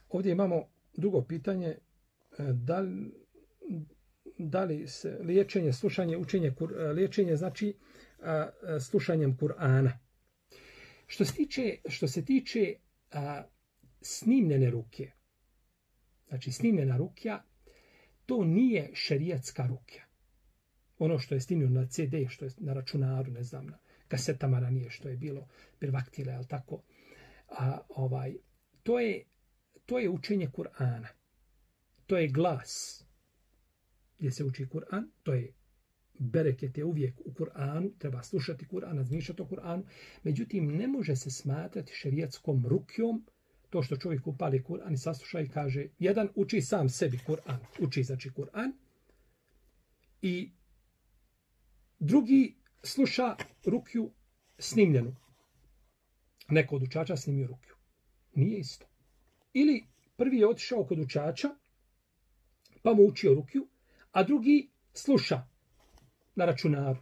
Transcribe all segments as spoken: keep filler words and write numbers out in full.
Ovdje imamo drugo pitanje, da li, da li se liječenje, slušanje, učenje, liječenje znači slušanjem Kur'ana. Što se tiče, što se tiče a, snimljene ruke, znači snimljena rukja, to nije šerijatska rukja. Ono što je snimljeno na ce de, što je na računaru, ne znam, na kasetama ranije, što je bilo pirvaktile, ali tako, a, ovaj, to je, to je učenje Kur'ana. To je glas gdje se uči Kur'an, to je bereket je uvijek u Kur'anu, treba slušati Kur'an, razmišljati o Kur'anu, međutim ne može se smatrati šerijatskom rukjom to što čovjek upali Kur'an i sasluša i kaže, jedan uči sam sebi Kur'an, uči znači Kur'an, i drugi sluša rukju snimljenu. Neko od učača snimio rukju. Nije isto. Ili prvi je otišao kod učača, pa mu učio rukju, a drugi sluša na računaru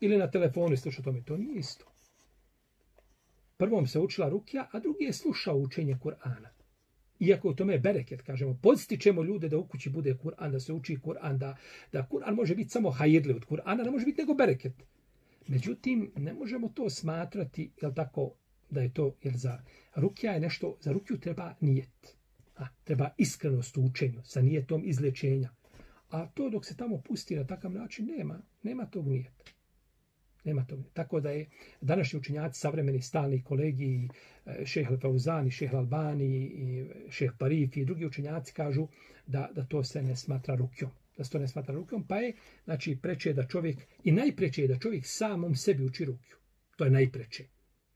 ili na telefonu i sluša tome. To nije isto. Prvom se učila rukja, a drugi je slušao učenje Kur'ana. Iako u tome je bereket, kažemo, podstičemo ljude da u kući bude Kur'an, da se uči Kur'an, da, da Kur'an može biti samo hajirli od Kur'ana, ne može biti nego bereket. Međutim, ne možemo to smatrati, jel tako, da je to, jer za rukja je nešto, za rukju treba nijet. A, treba iskrenost u učenju, sa nijetom izlječenja. A to dok se tamo pusti na takav način, nema, nema tog nijeta. Nema tog nijeta. Tako da je današnji učenjaci, savremeni stalni kolegi, šejh Al-Fauzani, šejh Al-Albani, i šejh Tarifi i drugi učenjaci kažu da, da to se ne smatra rukjom. Da se to ne smatra rukjom, pa je, znači, preče da čovjek, i najpreče je da čovjek samom sebi uči rukju. To je najpreče.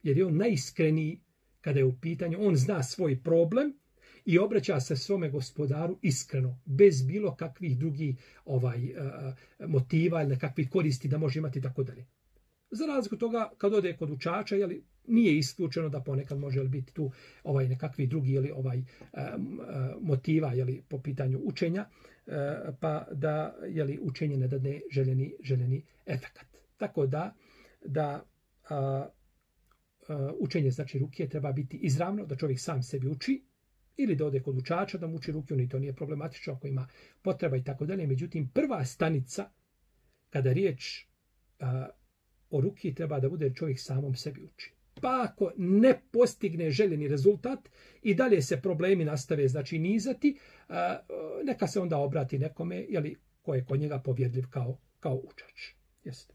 Jer je on najiskreniji kada je u pitanju, on zna svoj problem i obraća se svome gospodaru iskreno, bez bilo kakvih drugih ovaj, motiva ili nekakvih koristi da može imati tako dalje. Za razliku toga, kad ode kod učača, jeli, nije isključeno da ponekad može biti tu ovaj, nekakvi drugi jeli, ovaj, motiva jeli, po pitanju učenja, pa da jeli, učenje ne dadne željeni, željeni efekat. Tako da, da a, a, učenje znači rukije treba biti izravno, da čovjek sam sebi uči, ili da ode kod učača da mu uči rukiju, ni to nije problematično ako ima potreba i tako dalje. Međutim, prva stanica, kada riječ a, o rukiji, treba da bude čovjek samom sebi uči. Pa ako ne postigne željeni rezultat i dalje se problemi nastave, znači nizati, a, neka se onda obrati nekome, jeli, ko je kod njega povjedljiv kao, kao učač. Jeste.